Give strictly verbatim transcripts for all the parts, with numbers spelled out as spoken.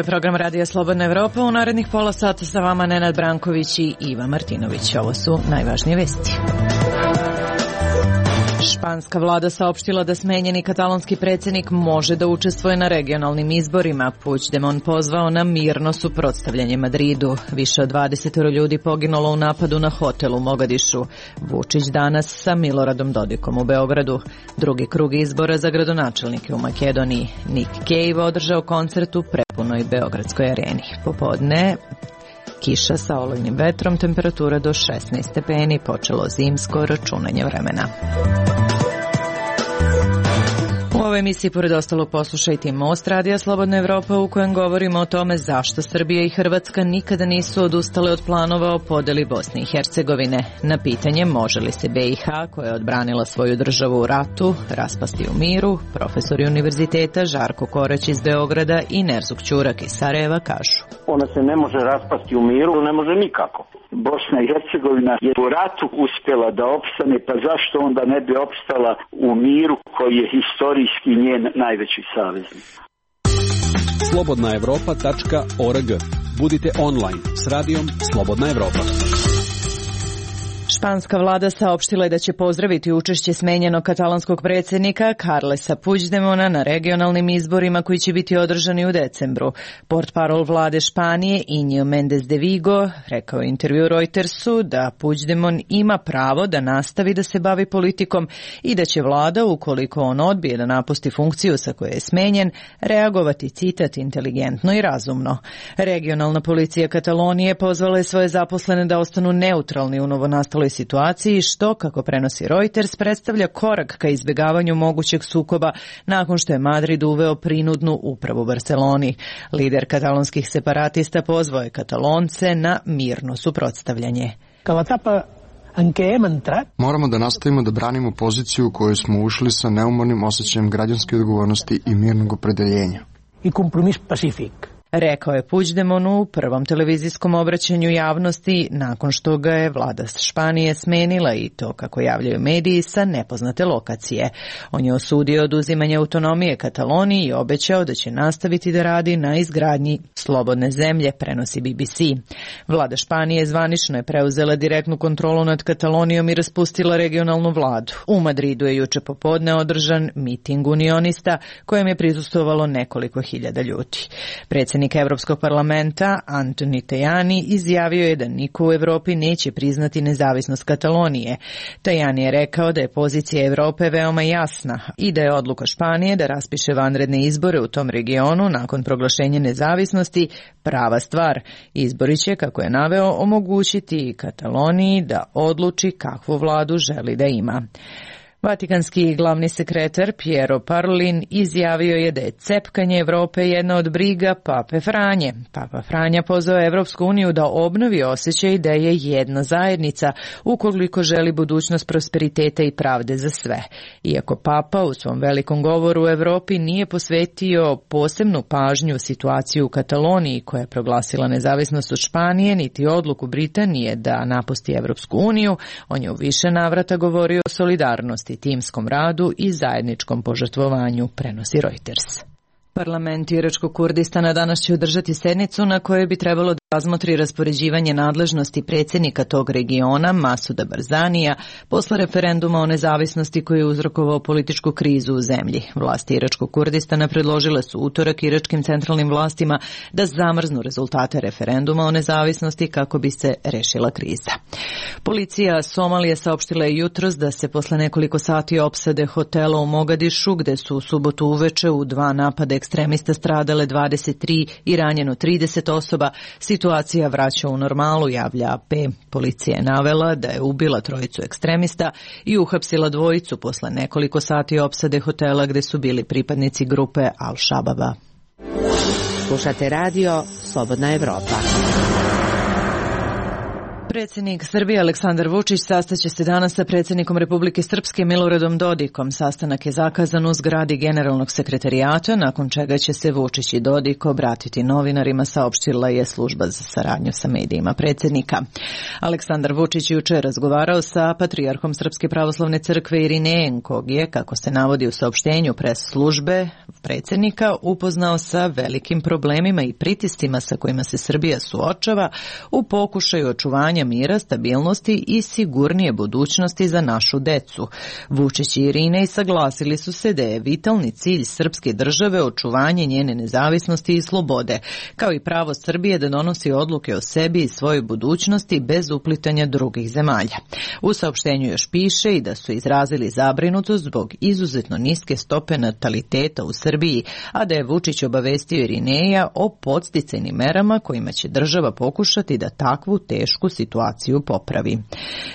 je program Radija Slobodna Evropa. U narednih pola sata sa vama Nenad Branković i Iva Martinović. Ovo su najvažnije vesti. Španska vlada saopštila da smenjeni katalonski predsjednik može da učestvuje na regionalnim izborima. Puigdemont pozvao na mirno suprotstavljanje Madridu. Više od dvadeset ljudi poginulo u napadu na hotel u Mogadišu. Vučić danas sa Miloradom Dodikom u Beogradu. Drugi krug izbora za gradonačelnike u Makedoniji. Nick Cave održao koncert u prepunoj Beogradskoj areni. Popodne kiša sa olujnim vetrom, temperatura do šesnaest stepeni, počelo zimsko računanje vremena. U ovoj emisiji pored ostalog poslušajte i Most Radija Slobodna Evropa u kojem govorimo o tome zašto Srbija i Hrvatska nikada nisu odustale od planova o podeli Bosne i Hercegovine. Na pitanje može li se be i ha, koja je odbranila svoju državu u ratu, raspasti u miru, profesori univerziteta Žarko Korać iz Beograda i Nerzuk Ćurak iz Sarajeva kažu. Ona se ne može raspasti u miru, ne može nikako. Bosna i Hercegovina je u ratu uspjela da opstane, pa zašto onda ne bi opstala u miru koji je historijski njen najveći saveznik? slobodna evropa tačka org. Budite online s radijom Slobodna Evropa. Španska vlada saopštila je da će pozdraviti učešće smenjenog katalonskog predsjednika Carlesa Puigdemona na regionalnim izborima koji će biti održani u decembru. Portparol vlade Španije Iñigo Méndez de Vigo rekao u intervju Reutersu da Puigdemon ima pravo da nastavi da se bavi politikom i da će vlada, ukoliko on odbije da napusti funkciju sa koje je smenjen, reagovati, citat, inteligentno i razumno. Regionalna policija Katalonije pozvala je svoje zaposlene da ostanu neutralni u novonastaloj situaciji, što, kako prenosi Reuters, predstavlja korak ka izbjegavanju mogućeg sukoba nakon što je Madrid uveo prinudnu upravu Barceloni. Lider katalonskih separatista pozvao je Katalonce na mirno suprotstavljanje. Moramo da nastavimo da branimo poziciju u kojoj smo ušli sa neumornim osjećajem građanske odgovornosti i mirnog opredeljenja. I kompromis pacifik. Rekao je Puigdemont u prvom televizijskom obraćanju javnosti nakon što ga je vlada Španije smenila i to, kako javljaju mediji, sa nepoznate lokacije. On je osudio oduzimanje autonomije Kataloniji i obećao da će nastaviti da radi na izgradnji slobodne zemlje, prenosi be be ce. Vlada Španije zvanično je preuzela direktnu kontrolu nad Katalonijom i raspustila regionalnu vladu. U Madridu je juče popodne održan miting unionista kojem je prisustvovalo nekoliko hiljada ljudi. Predsjednik Evropskog parlamenta Antoni Tajani izjavio je da niko u Evropi neće priznati nezavisnost Katalonije. Tajani je rekao da je pozicija Evrope veoma jasna i da je odluka Španije da raspiše vanredne izbore u tom regionu nakon proglašenja nezavisnosti prava stvar. Izbori će, kako je naveo, omogućiti Kataloniji da odluči kakvu vladu želi da ima. Vatikanski glavni sekretar Piero Parolin izjavio je da je cepkanje Evrope jedna od briga Pape Franje. Papa Franja pozvao Evropsku uniju da obnovi osjećaj da je jedna zajednica ukoliko želi budućnost prosperiteta i pravde za sve. Iako Papa u svom velikom govoru u Evropi nije posvetio posebnu pažnju situaciju u Kataloniji koja je proglasila nezavisnost od Španije, niti odluku Britanije da napusti Evropsku uniju, on je u više navrata govorio o solidarnosti, timskom radu i zajedničkom požrtvovanju, prenosi Reuters. Parlament Iračkog Kurdistana danas će održati sednicu na kojoj bi trebalo da razmotri raspoređivanje nadležnosti predsjednika tog regiona, Masuda Barzanija, posle referenduma o nezavisnosti koji je uzrokovao političku krizu u zemlji. Vlasti Iračkog Kurdistana predložile su utorak iračkim centralnim vlastima da zamrznu rezultate referenduma o nezavisnosti kako bi se rešila kriza. Policija Somalije saopštila je jutros da se posle nekoliko sati opsade hotela u Mogadišu, gde su u subotu uveče u dva napada ekstremista stradale dvadeset tri i ranjeno trideset osoba, situacija vraća u normalu, javlja a pe. Policija je navela da je ubila trojicu ekstremista i uhapsila dvojicu posle nekoliko sati opsade hotela gde su bili pripadnici grupe Al-Shababa. Slušate radio Slobodna Evropa. Predsjednik Srbije Aleksandar Vučić sastaće se danas sa predsjednikom Republike Srpske Miloradom Dodikom. Sastanak je zakazan u zgradi Generalnog sekretarijata, nakon čega će se Vučić i Dodik obratiti novinarima, saopštila je služba za saradnju sa medijima predsjednika. Aleksandar Vučić juče razgovarao sa patrijarhom Srpske pravoslavne crkve Irinejem, kog je, kako se navodi u saopštenju pres službe predsjednika, upoznao sa velikim problemima i pritiscima sa kojima se Srbija suočava u pokušaju očuvanja mira, stabilnosti i sigurnije budućnosti za našu decu. Vučić i Irinej saglasili su se da je vitalni cilj srpske države očuvanje njene nezavisnosti i slobode, kao i pravo Srbije da donosi odluke o sebi i svojoj budućnosti bez uplitanja drugih zemalja. U saopštenju još piše i da su izrazili zabrinutost zbog izuzetno niske stope nataliteta u Srbiji, a da je Vučić obavestio Irineja o podsticajnim merama kojima će država pokušati da takvu tešku situaciju popravi.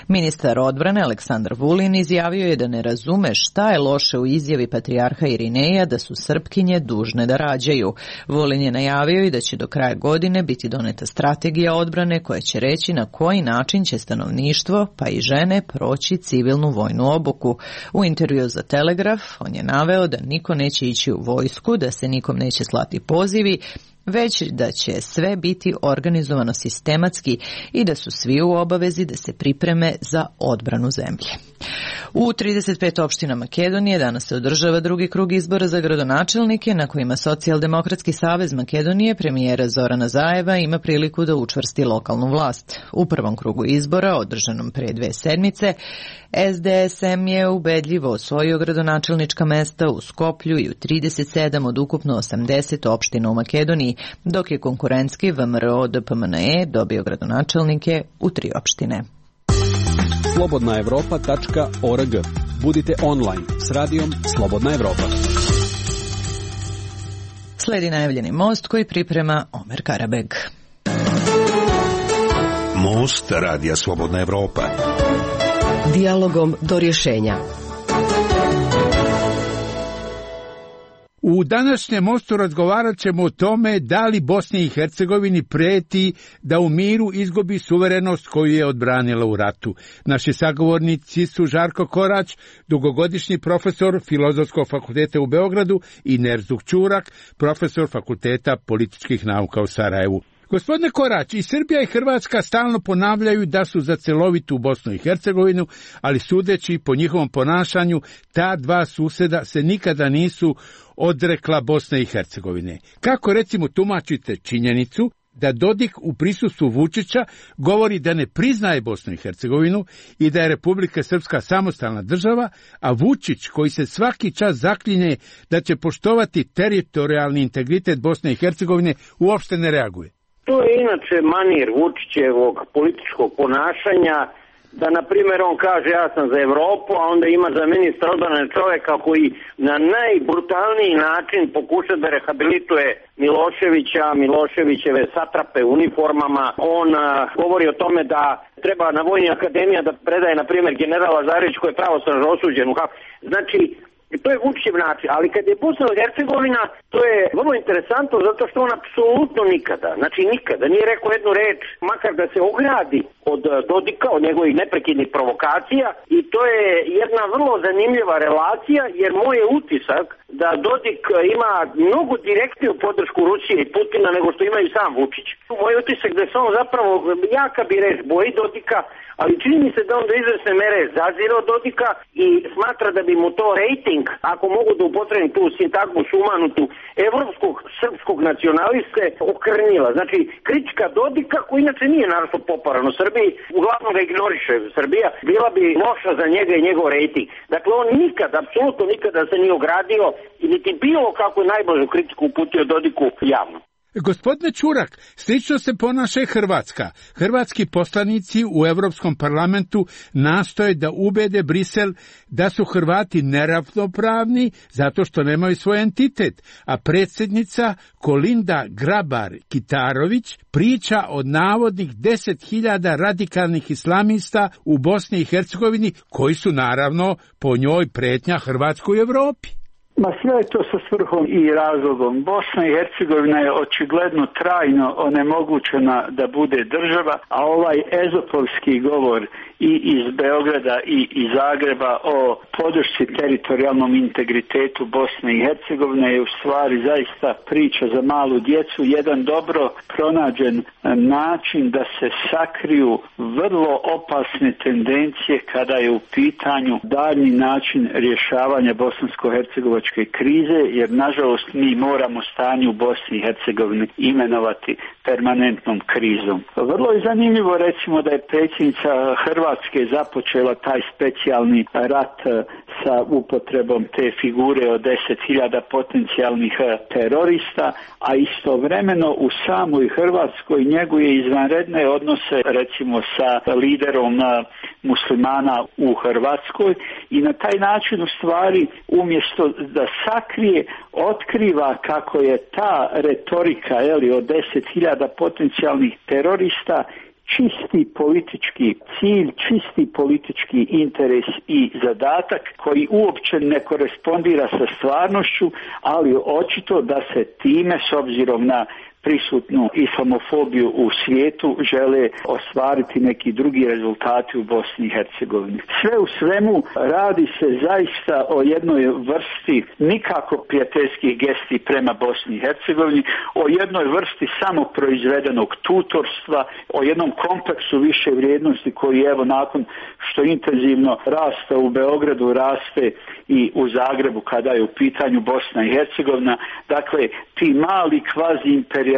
Ministar odbrane Aleksandar Vulin izjavio je da ne razume šta je loše u izjavi patrijarha Irineja da su Srpkinje dužne da rađaju. Vulin je najavio i da će do kraja godine biti doneta strategija odbrane koja će reći na koji način će stanovništvo, pa i žene, proći civilnu vojnu obuku. U intervju za Telegraf on je naveo da niko neće ići u vojsku, da se nikom neće slati pozivi, već da će sve biti organizovano sistematski i da su svi u obavezi da se pripreme za odbranu zemlje. U trideset pet opština Makedonije danas se održava drugi krug izbora za gradonačelnike na kojima Socijaldemokratski savez Makedonije premijera Zorana Zajeva ima priliku da učvrsti lokalnu vlast. U prvom krugu izbora, održanom pre dve sedmice, S D S M je ubedljivo osvojio gradonačelnička mesta u Skoplju i u trideset sedam od ukupno osamdeset opština u Makedoniji, dok je konkurentski V M R O D P M N E dobio gradonačelnike u tri opštine. slobodna evropa tačka org. Budite online s radijom Slobodna Evropa. Sledi najavljeni most koji priprema Omer Karabeg. Most radija Slobodna Evropa. Dijalogom do rješenja. U današnjem mostu razgovarat ćemo o tome da li Bosni i Hercegovini prijeti da u miru izgubi suverenost koju je odbranila u ratu. Naši sagovornici su Žarko Korać, dugogodišnji profesor Filozofskog fakulteta u Beogradu, i Nerzuk Ćurak, profesor Fakulteta političkih nauka u Sarajevu. Gospodine Korać, i Srbija i Hrvatska stalno ponavljaju da su za celovitu Bosnu i Hercegovinu, ali sudeći po njihovom ponašanju, ta dva susjeda se nikada nisu odrekla Bosne i Hercegovine. Kako recimo tumačite činjenicu da Dodik u prisustvu Vučića govori da ne priznaje Bosnu i Hercegovinu i da je Republika Srpska samostalna država, a Vučić, koji se svaki čas zaklinje da će poštovati teritorijalni integritet Bosne i Hercegovine, uopšte ne reaguje? To je inače manir Vučićevog političkog ponašanja, da na primjer on kaže ja sam za Evropu, a onda ima za ministra odbrane čovjeka koji na najbrutalniji način pokuša da rehabilituje Miloševića, Miloševićeve satrape u uniformama. On a, govori o tome da treba na Vojni akademija da predaje na primjer general Lazarević koji je pravosnažno osuđen. Znači, to je Vučićev način, ali kad je Bosna i Hercegovina, to je vrlo interesantno zato što on apsolutno nikada, znači nikada nije rekao jednu reč, makar da se ogradi od Dodika, od njegovih neprekidnih provokacija, i to je jedna vrlo zanimljiva relacija, jer moj je utisak da Dodik ima mnogo direktniju podršku Rusije i Putina nego što ima i sam Vučić. Moj utisak da se on zapravo, jaka bi reč, boji Dodika, ali čini mi se da on do izvesne mere zazire od Dodika i smatra da bi mu to rejting, ako mogu da upotrebim tu sintagmu sumanutu, evropskog srpskog nacionaliste okrnila. Znači, kritika Dodika, koji inače nije naravno popularan u Srbiji, uglavnom ga ignoriše Srbija, bila bi loša za njega i njegov rejting. Dakle, on nikad, apsolutno nikada se nije ogradio i niti bilo kako najblažu kritiku uputio Dodiku javno. Gospodine Ćurak, slično se ponaša i Hrvatska. Hrvatski poslanici u Europskom parlamentu nastoje da ubede Brisel da su Hrvati neravnopravni zato što nemaju svoj entitet, a predsjednica Kolinda Grabar-Kitarović priča o navodnih deset hiljada radikalnih islamista u Bosni i Hercegovini, koji su naravno po njoj pretnja Hrvatskoj u Evropi. Ma sve je to sa svrhom i razlogom. Bosna i Hercegovina je očigledno trajno onemogućena da bude država, a ovaj ezopovski govor i iz Beograda i iz Zagreba o podršci teritorijalnom integritetu Bosne i Hercegovine je u stvari zaista priča za malu djecu, jedan dobro pronađen način da se sakriju vrlo opasne tendencije kada je u pitanju daljnji način rješavanja bosansko-hercegovačke krize, jer nažalost mi moramo stanje u Bosni i Hercegovini imenovati permanentnom krizom. Vrlo je zanimljivo recimo da je predsjednica Hrvatske započela taj specijalni rat sa upotrebom te figure od deset hiljada potencijalnih terorista, a istovremeno u samoj Hrvatskoj njeguje izvanredne odnose recimo sa liderom muslimana u Hrvatskoj i na taj način u stvari umjesto da sakrije, otkriva kako je ta retorika jeli, od deset hiljada potencijalnih terorista čisti politički cilj, čisti politički interes i zadatak koji uopće ne korespondira sa stvarnošću, ali očito da se time s obzirom na prisutnu islamofobiju u svijetu žele ostvariti neki drugi rezultati u Bosni i Hercegovini. Sve u svemu radi se zaista o jednoj vrsti nikako prijateljskih gesti prema Bosni i Hercegovini, o jednoj vrsti samoproizvedenog tutorstva, o jednom kompleksu više vrijednosti koji evo nakon što intenzivno raste u Beogradu, raste i u Zagrebu kada je u pitanju Bosna i Hercegovina. Dakle, ti mali kvazi imperializmi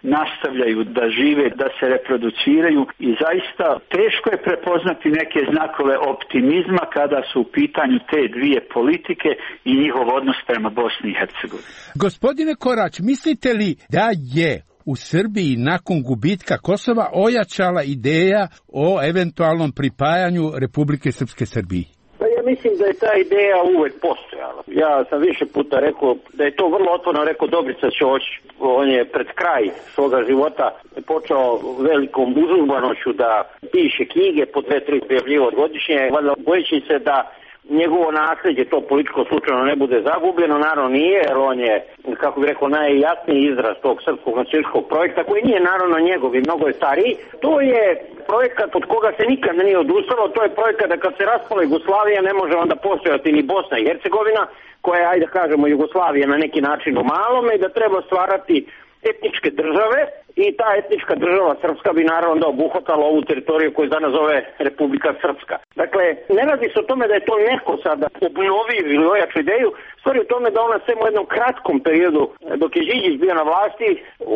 nastavljaju da žive, da se reproduciraju i zaista teško je prepoznati neke znakove optimizma kada su u pitanju te dvije politike i njihov odnos prema Bosni i Hercegovini. Gospodine Korać, mislite li da je u Srbiji nakon gubitka Kosova ojačala ideja o eventualnom pripajanju Republike Srpske Srbiji? Pa ja mislim da je ta ideja uvek postojala. Ja sam više puta rekao da je to vrlo otvoreno rekao Dobrica Ćoć. On je pred kraj svoga života počeo velikom užurbanošću da piše knjige po dve, tri objavljivo godišnje, valjda bojeći se da njegovo nasljeđe, to političko slučajno ne bude zagubljeno, naravno nije, jer on je, kako bih rekao, najjasniji izraz tog srpskog nacionalističkog projekta, koji nije naravno njegov i mnogo je stariji. To je projekat od koga se nikad nije odustalo, to je projekat da kad se raspala Jugoslavija ne može onda postojati ni Bosna i Hercegovina, koja je, ajde kažemo, Jugoslavija na neki način u malome i da treba stvarati etničke države i ta etnička država srpska bi naravno da obuhvatala ovu teritoriju koju danas zove Republika Srpska. Dakle, ne radi se o tome da je to neko sada obnovio ili ojaču ideju, stvari u tome da ona sve u jednom kratkom periodu dok je Đinđić bio na vlasti,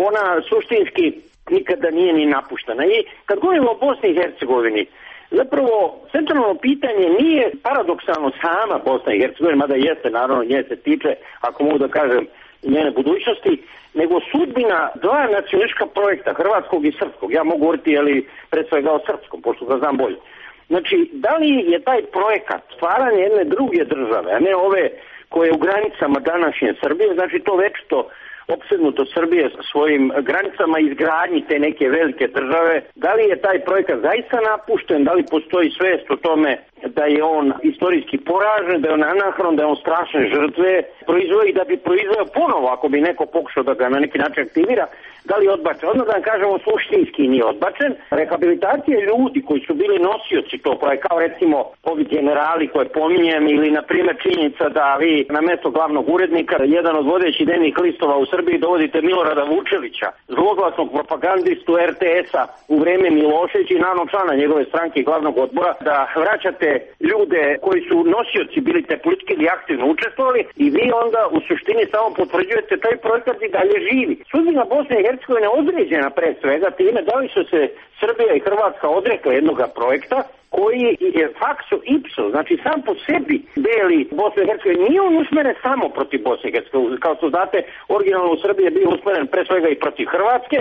ona suštinski nikada nije ni napuštena. I kad govorimo o Bosni i Hercegovini, zapravo centralno pitanje nije paradoksalno sama Bosna i Hercegovina, mada jeste, naravno nje se tiče, ako mogu da kažem, njene budućnosti, nego sudbina dva nacionalistička projekta, hrvatskog i srpskog. Ja mogu govoriti, ali pre svega o srpskom, pošto ga znam bolje. Znači, da li je taj projekat stvaranje jedne druge države, a ne ove koje je u granicama današnje Srbije, znači to večito opsednuto Srbije svojim granicama izgradnji te neke velike države, da li je taj projekat zaista napušten, da li postoji svest o tome da je on istorijski poražen, da je on anahron, da je on strašne žrtve proizveo i da bi proizveo ponovo ako bi neko pokušao da ga na neki način aktivira, da li je odbačen? Odmah da vam kažemo suštinski nije odbačen. Rehabilitacija ljudi koji su bili nosioci tog projekta, kao recimo ovi generali koje pominjem ili na primjer činjenica da vi na mesto glavnog urednika, jedan od vodećih dnevnih listova u Srbiji dovodite Milorada Vučevića, zloglasnog propagandistu er te es-a u vreme Miloševića i naravno člana njegove stranke i glavnog odbora, da vraćate ljude koji su nosioci bili te politike ili aktivno učestvovali i vi onda u suštini samo potvrđujete taj projekat i dalje živi. Sudbina Bosne i Hercegovine određena pre svega time da li su se Srbija i Hrvatska odrekla jednog projekta koji je fakso ipso, znači sam po sebi deli Bosne i Hercegovine. Nije on usmeren samo protiv Bosne i Hercegovine. Kao što znate, originalno u Srbiji je bio usmeren pre svega i protiv Hrvatske.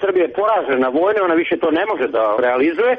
Srbija je poražena vojne, ona više to ne može da realizuje,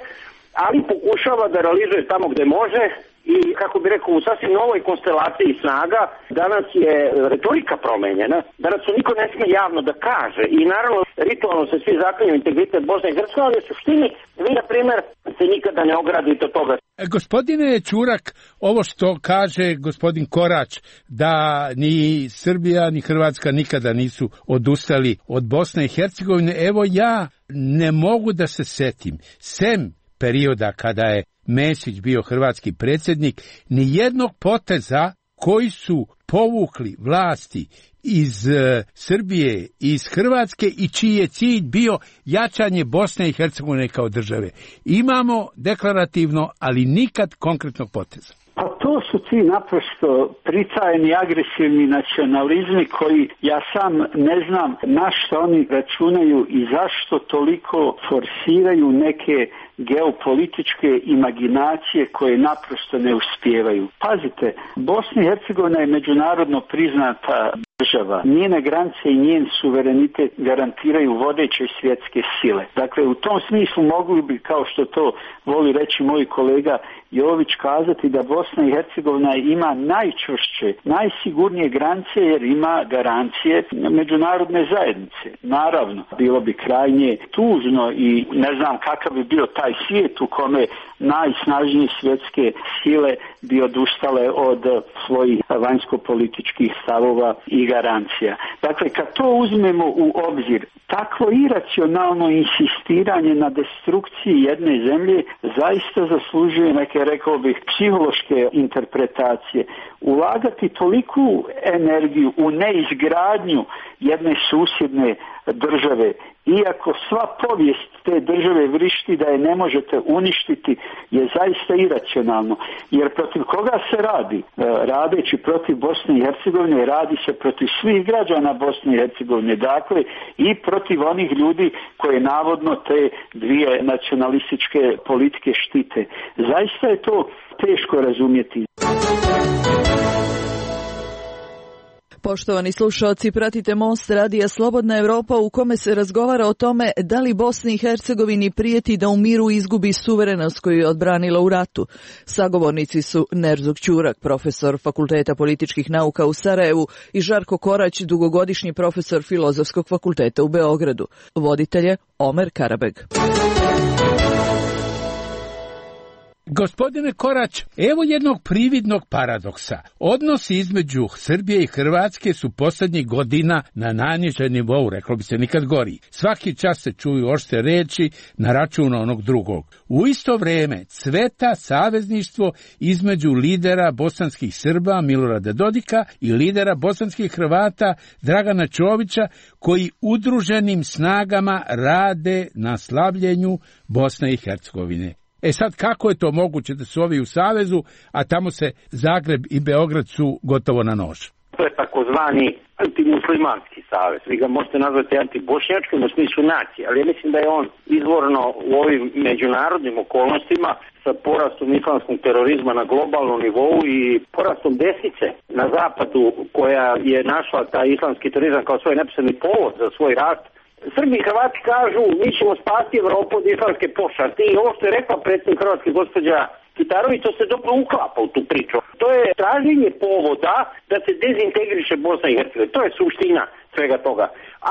ali pokušava da realizuje tamo gde može i, kako bi rekao, u sasvim novoj konstelaciji snaga. Danas je retorika promenjena, danas su niko ne smije javno da kaže i naravno ritualno se svi zaklinju integritet Bosne i Hercegovine, ali u suštini vi, na primjer, se nikada ne ogradite od toga. Gospodine Ćurak, ovo što kaže gospodin Korać, da ni Srbija ni Hrvatska nikada nisu odustali od Bosne i Hercegovine, evo ja ne mogu da se setim, sem perioda kada je Mesić bio hrvatski predsjednik, ni jednog poteza koji su povukli vlasti iz e, Srbije, iz Hrvatske i čiji je cilj bio jačanje Bosne i Hercegovine kao države. Imamo deklarativno, ali nikad konkretnog poteza. Pa to su ti naprosto pritajeni agresivni nacionalizmi koji ja sam ne znam na što oni računaju i zašto toliko forsiraju neke geopolitičke imaginacije koje naprosto ne uspijevaju. Pazite, Bosna i Hercegovina je međunarodno priznata država. Njene granice i njen suverenitet garantiraju vodeće svjetske sile. Dakle, u tom smislu mogli bi, kao što to voli reći moj kolega Jović, kazati da Bosna i Hercegovina ima najčvršće, najsigurnije granice jer ima garancije međunarodne zajednice. Naravno, bilo bi krajnje tužno i ne znam kakav bi bio taj svijet u kome najsnažnije svjetske sile bi odustale od svojih vanjsko-političkih stavova i garancija. Dakle, kad to uzmemo u obzir, takvo iracionalno insistiranje na destrukciji jedne zemlje zaista zaslužuje neke, rekao bih, psihološke interpretacije. Ulagati toliku energiju u neizgradnju jedne susjedne države, iako sva povijest te države vrišti da je ne možete uništiti, je zaista iracionalno. Jer protiv koga se radi? Radeći protiv Bosne i Hercegovine, radi se protiv svih građana Bosne i Hercegovine, dakle i protiv onih ljudi koje navodno te dvije nacionalističke politike štite. Zaista je to teško razumjeti. Poštovani slušalci, pratite Most radija Slobodna Evropa u kome se razgovara o tome da li Bosni i Hercegovini prijeti da u miru izgubi suverenost koju je odbranila u ratu. Sagovornici su Nerzuk Ćurak, profesor Fakulteta političkih nauka u Sarajevu, i Žarko Korać, dugogodišnji profesor Filozofskog fakulteta u Beogradu. Voditelj je Omer Karabeg. Gospodine Korać, evo jednog prividnog paradoksa. Odnosi između Srbije i Hrvatske su posljednjih godina na najnižem nivou, reklo bi se nikad gori. Svaki čas se čuju oštre reči na račun onog drugog. U isto vrijeme cveta savezništvo između lidera bosanskih Srba Milorada Dodika i lidera bosanskih Hrvata Dragana Čovića, koji udruženim snagama rade na slabljenju Bosne i Hercegovine. E sad, kako je to moguće da su ovi u savezu, a tamo se Zagreb i Beograd su gotovo na nož? To je takozvani antimuslimanski savez. Vi ga možete nazvati antibošnjačkim u smislu nacije, ali ja mislim da je on izvorno u ovim međunarodnim okolnostima sa porastom islamskog terorizma na globalnom nivou i porastom desnice na zapadu, koja je našla taj islamski terorizam kao svoj neposredni povod za svoj rast. Srbi i Hrvati kažu, mi ćemo spasti Evropu od islamske pošasti, i ovo što je rekla predsjednik Hrvatske gospođa Kitarović, to se dobro uklapa u tu priču. To je traženje povoda da se dezintegriše Bosna i Hercegovina. To je suština svega toga.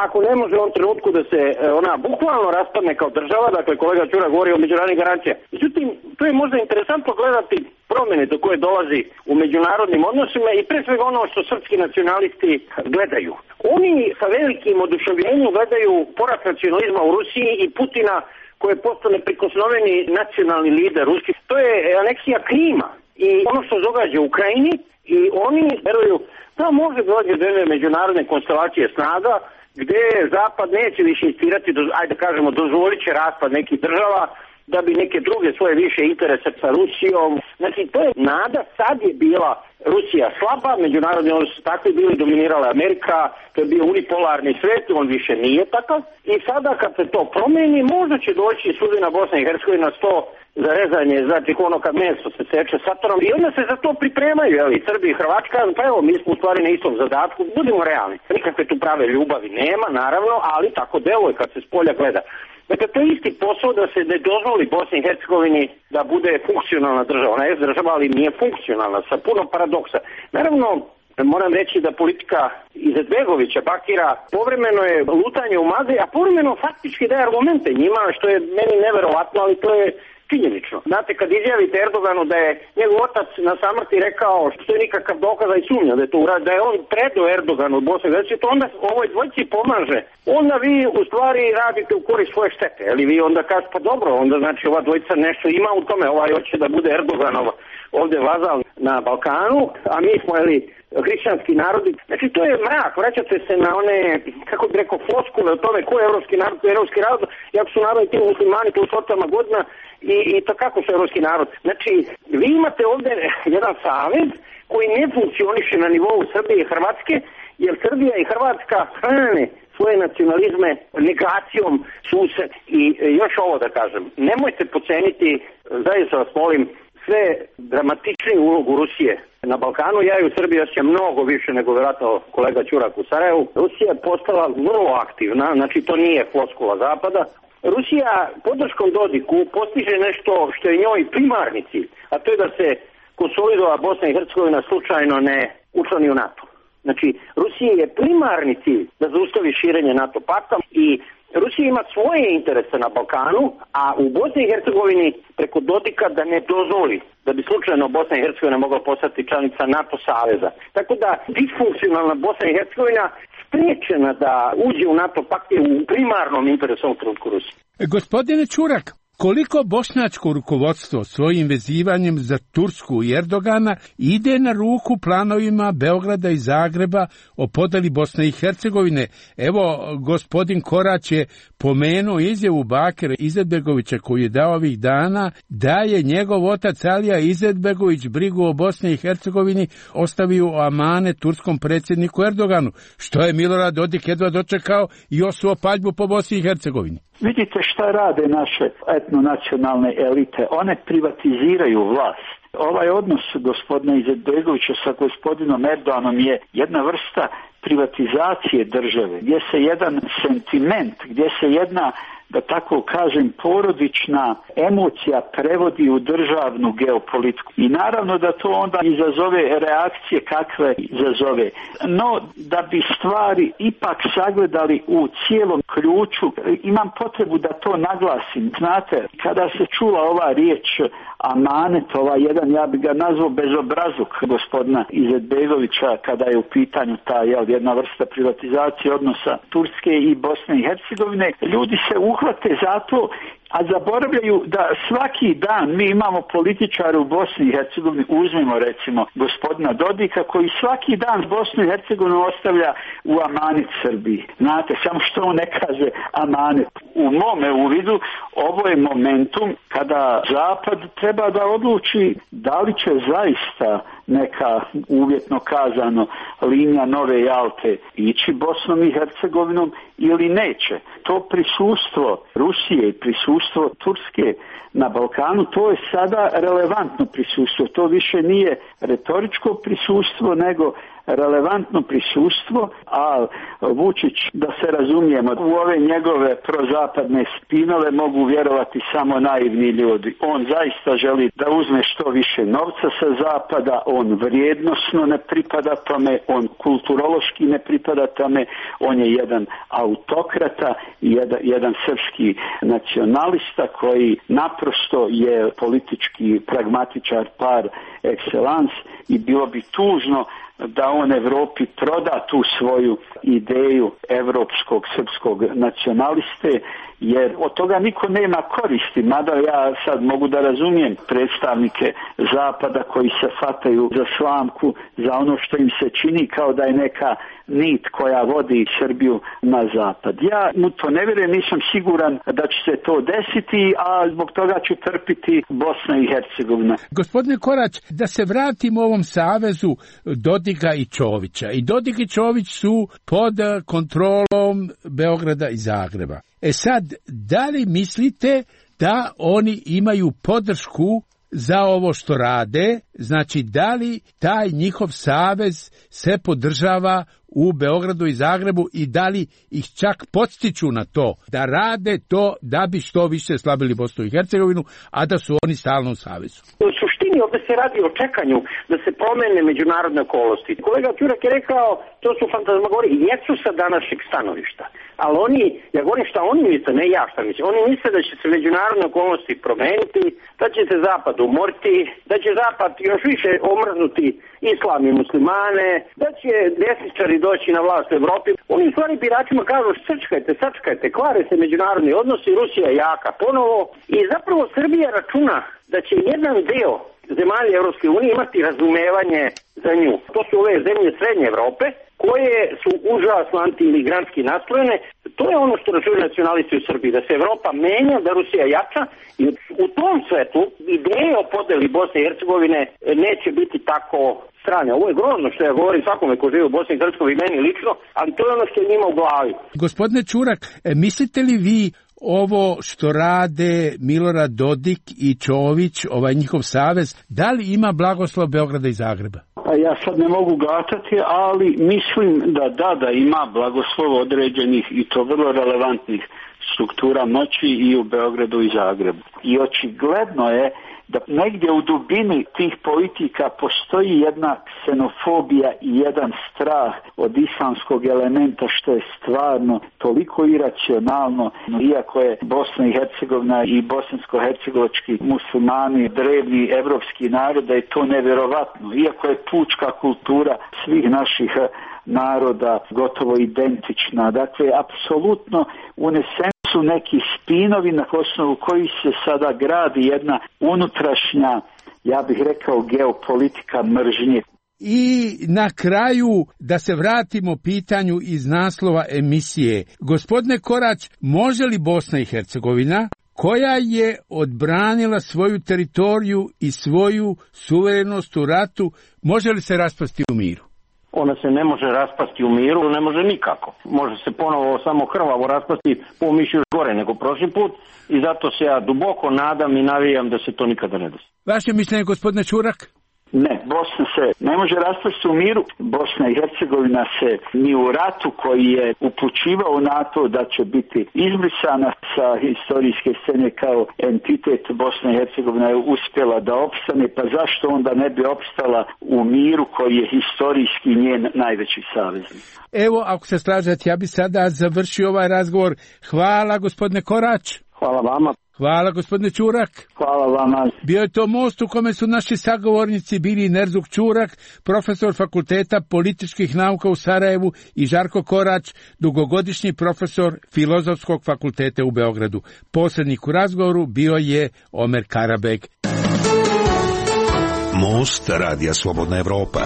Ako ne može u ovom trenutku da se ona bukvalno raspadne kao država, dakle kolega Ćura govori o međunarodnim garancijama. Međutim, to je možda interesantno gledati promjene do koje dolazi u međunarodnim odnosima i pre svega ono što srpski nacionalisti gledaju. Oni sa velikim oduševljenjem gledaju porast nacionalizma u Rusiji i Putina, koji je postao neprikosnoveni nacionalni lider ruski. To je aneksija Krima i ono što se događa u Ukrajini, i oni veruju da može doći do jedne međunarodne konstelacije snaga gdje Zapad neće više insistirati, ajde da kažemo, dozvolit će raspad nekih država da bi neke druge svoje više interese sa Rusijom. Znači, to je nada. Sad je bila Rusija slaba, međunarodni odnosi su takvi bili, dominirala Amerika, to je bio unipolarni svijet, on više nije takav. I sada kad se to promijeni, možda će doći sudbina Bosna i Hercegovina sto za rezanje, znači ono kad meso se seče satorom, i onda se za to pripremaju, jeli, Srbi i Hrvatska, pa evo, mi smo u stvari na istom zadatku, budimo realni. Nikakve tu prave ljubavi nema, naravno, ali tako deluje kad se s polja gleda. Dakle, to je isti posao da se ne dozvoli Bosni i Hercegovini da bude funkcionalna država. Ona je država, ali nije funkcionalna, sa puno paradoksa. Naravno, Moram reći da politika Izetbegovića, Bakira, povremeno je lutanje u magli, a povremeno faktički daje argumente njima, što je meni neverovatno, ali to je činjenično. Znate, kad izjavite Erdoganu da je njegov otac na samrti rekao, što je nikakav dokaz i sumnja da je to uradio, da je on predao Erdoganu u Bosni, znači to onda ovoj dvojici pomaže. Onda vi u stvari radite u korist svoje štete, ali vi onda kažete, pa dobro, onda znači ova dvojica nešto ima u tome, ovaj hoće da bude Erdoganov ovdje vazal na Balkanu, a mi smo, jeli, hrišćanski narodi. Znači to je mrak, vraćate se na one, kako bih rekao, floskule o tome ko je evropski narod, ko je evropski narod, jako su narodi ti muslimani, to stotama godina i, i to kako su evropski narod. Znači, vi imate ovdje jedan savez koji ne funkcioniše na nivou Srbije i Hrvatske, jer Srbija i Hrvatska hrane svoje nacionalizme negacijom sused. I još ovo da kažem, nemojte poceniti, zaista vas molim, sve dramatičniju ulogu Rusije na Balkanu. Ja i u Srbiji osjećam mnogo više nego vjerojatno kolega Ćurak u Sarajevu. Rusija je postala vrlo aktivna, znači to nije floskula Zapada. Rusija podrškom Dodiku postiže nešto što je njoj primarni cilj, a to je da se konsolidova Bosna i Hercegovina slučajno ne učlani u NATO. Znači, Rusiji je primarni cilj da zaustavi širenje NATO pakta i Rusija ima svoje interese na Balkanu, a u Bosni i Hercegovini preko Dodika da ne dozvoli da bi slučajno Bosna i Hercegovina mogla postati članica NATO saveza. Tako da disfunkcionalna Bosna i Hercegovina spriječena da uđe u NATO pakt je u primarnom interesu ovog trenutku Rusije. Gospodine Ćurak, koliko bošnjačko rukovodstvo svojim vezivanjem za Tursku i Erdogana ide na ruku planovima Beograda i Zagreba o podeli Bosne i Hercegovine? Evo, gospodin Korać je pomenuo izjavu Bakira Izetbegovića koji je dao ovih dana da je njegov otac Alija Izetbegović brigu o Bosni i Hercegovini ostavio u amane turskom predsjedniku Erdoganu, što je Milorad Dodik jedva dočekao i osuo paljbu po Bosni i Hercegovini. Vidite šta rade naše etnonacionalne elite. One privatiziraju vlast. Ovaj odnos gospodina Izetbegovića sa gospodinom Erdoganom je jedna vrsta privatizacije države, gdje se jedan sentiment, gdje se jedna, da tako kažem, porodična emocija prevodi u državnu geopolitiku. I naravno da to onda izazove reakcije kakve izazove. No, da bi stvari ipak sagledali u cijelom ključu, imam potrebu da to naglasim. Znate, kada se čula ova riječ amanet, ovaj jedan, ja bi ga nazvao bezobrazluk gospodina Izetbegovića, kada je u pitanju ta jel, jedna vrsta privatizacije odnosa Turske i Bosne i Hercegovine, ljudi se uhvate za to, a zaboravljaju da svaki dan mi imamo političare u Bosni i Hercegovini, uzmimo recimo gospodina Dodika, koji svaki dan Bosnu i Hercegovinu ostavlja u amanet Srbiji. Znate, samo što on ne kaže amanet. U mome uvidu ovo je momentum kada Zapad treba da odluči da li će zaista neka uvjetno kazano linija Nove Jalte ići Bosnom i Hercegovinom ili neće. To prisustvo Rusije i prisustvo Turske na Balkanu, to je sada relevantno prisustvo. To više nije retoričko prisustvo, nego relevantno prisustvo, a Vučić, da se razumijemo, u ove njegove prozapadne spinove mogu vjerovati samo naivni ljudi. On zaista želi da uzme što više novca sa zapada, on vrijednosno ne pripada tome, on kulturološki ne pripada tome, on je jedan autokrata, jedan, jedan srpski nacionalista koji naprosto je politički pragmatičar par excellence i bilo bi tužno da on Evropi proda tu svoju ideju evropskog srpskog nacionaliste, jer od toga niko nema koristi, mada ja sad mogu da razumijem predstavnike Zapada koji se fataju za slamku, za ono što im se čini kao da je neka nit koja vodi Srbiju na zapad. Ja mu to ne vjerujem, nisam siguran da će se to desiti, a zbog toga ću trpiti Bosna i Hercegovina. Gospodine Korać, da se vratimo ovom savezu Dodika i Čovića. I Dodik i Čović su pod kontrolom Beograda i Zagreba. E sad, da li mislite da oni imaju podršku za ovo što rade? Znači, da li taj njihov savez se podržava u Beogradu i Zagrebu i da li ih čak podstiču na to da rade to da bi što više slabili Bosnu i Hercegovinu, a da su oni stalno u savezu? U suštini suštini ovdje se radi o čekanju da se promene međunarodne okolnosti. Kolega Ćurak je rekao, to su fantazmagorije, jesu sa današnjeg stanovišta. Ali oni, ja govorim šta oni misle, ne ja šta mislim, oni misle da će se međunarodne okolnosti promeniti, da će se Zapad umoriti, da će Zapad još više omrznuti islam i muslimane, da će desničari doći na vlast u Evropi. Oni u stvari biračima kažu, sačkajte, sačkajte, kvare se međunarodni odnosi, Rusija je jaka ponovo i zapravo Srbija računa da će jedan deo zemalja Evropske unije imati razumevanje za nju. To su ove zemlje Srednje Evrope, koje su užasno anti-imigrantski nastrojene. To je ono što računaju nacionalisti u Srbiji, da se Evropa menja, da Rusija jača i u tom svetu ideje o podeli Bosne i Hercegovine neće biti tako strane. Ovo je grozno što ja govorim svakome ko živi u Bosni i Hercegovini, meni lično, ali to je ono što je njima u glavi. Gospodine Ćurak, mislite li vi ovo što rade Milorad Dodik i Čović, ovaj njihov savez, da li ima blagoslov Beograda i Zagreba? Pa ja sad ne mogu gatati, ali mislim da da, da ima blagoslov određenih i to vrlo relevantnih struktura moći i u Beogradu i Zagrebu. I očigledno je da negdje u dubini tih politika postoji jedna ksenofobija i jedan strah od islamskog elementa, što je stvarno toliko iracionalno, iako je Bosna i Hercegovina i bosansko-hercegovački muslimani drevni evropski narod, da je to nevjerovatno. Iako je pučka kultura svih naših naroda gotovo identična. Dakle, apsolutno unesen su neki spinovi na osnovu kojih se sada gradi jedna unutrašnja, ja bih rekao, geopolitika mržnje. I na kraju da se vratimo pitanju iz naslova emisije. Gospodine Korać, može li Bosna i Hercegovina, koja je odbranila svoju teritoriju i svoju suverenost u ratu, može li se raspasti u miru? Ona se ne može raspasti u miru, ne može nikako. Može se ponovo samo krvavo raspasti, po mišlju još gore nego prošli put i zato se ja duboko nadam i navijam da se to nikada ne desi. Vaše mišljenje, gospodine Ćurak? Ne, Bosna se ne može raspasti u miru. Bosna i Hercegovina se ni u ratu koji je upućivao na to da će biti izbrisana sa historijske scene kao entitet, Bosna i Hercegovina je uspjela da opstane, pa zašto onda ne bi opstala u miru koji je historijski njen najveći saveznik? Evo, ako se slažete, ja bi sada završio ovaj razgovor. Hvala, gospodine Korać. Hvala vama. Hvala, gospodine Ćurak. Hvala vama. Bio je to most u kome su naši sagovornici bili Nerzuk Ćurak, profesor Fakulteta političkih nauka u Sarajevu, i Žarko Korać, dugogodišnji profesor Filozofskog fakulteta u Beogradu. Posrednik u razgovoru bio je Omer Karabeg. Most Radija Slobodna Evropa.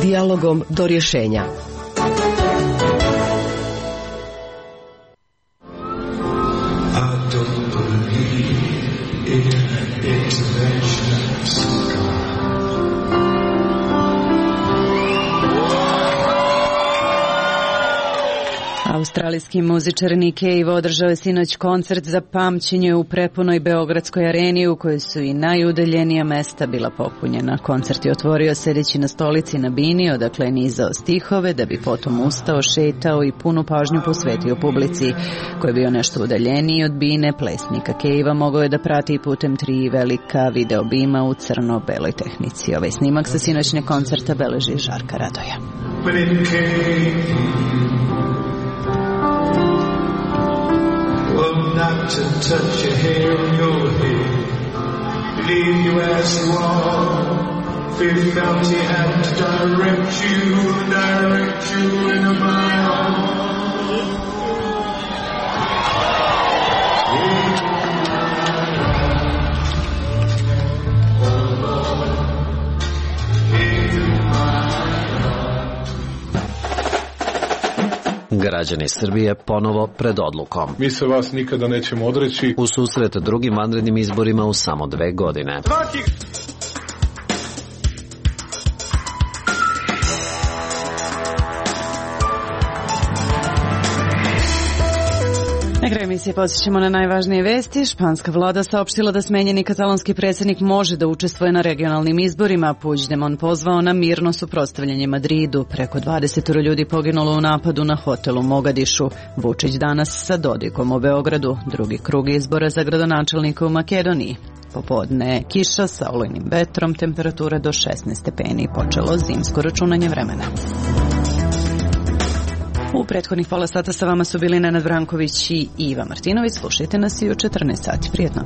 Dijalogom do rješenja. Australijski muzičar Nick Cave održao je sinoć koncert za pamćenje u prepunoj Beogradskoj areni, u kojoj su i najudaljenija mesta bila popunjena. Koncert je otvorio sedeći na stolici na bini, odakle je nizao stihove, da bi potom ustao, šetao i punu pažnju posvetio publici. Ko je bio nešto udaljeniji od bine, plesnika Cavea mogao je da prati putem tri velika video bima u crno-beloj tehnici. Ovaj snimak sa sinoćnjeg koncerta beleži Žarka Radoja. Not to touch your hair on your head, leave you as you are. Faith felt he had to direct you, direct you into my arms. Građani Srbije ponovo pred odlukom. Mi se vas nikada nećemo odreći. U susret drugim vanrednim izborima u samo dve godine. Na kraju emisije podsjećamo na najvažnije vesti. Španska vlada saopštila da smenjeni katalonski predsjednik može da učestvuje na regionalnim izborima. Puigdemont pozvao na mirno suprotstavljanje Madridu. Preko dvadeset ljudi poginulo u napadu na hotel u Mogadišu. Vučić danas sa Dodikom u Beogradu. Drugi krug izbora za gradonačelnika u Makedoniji. Popodne kiša sa olujnim vetrom, temperatura do šesnaest stepeni, počelo zimsko računanje vremena. U prethodnih pola sata sa vama su bili Nenad Branković i Iva Martinović. Slušajte nas i u četrnaest sati. Prijetno.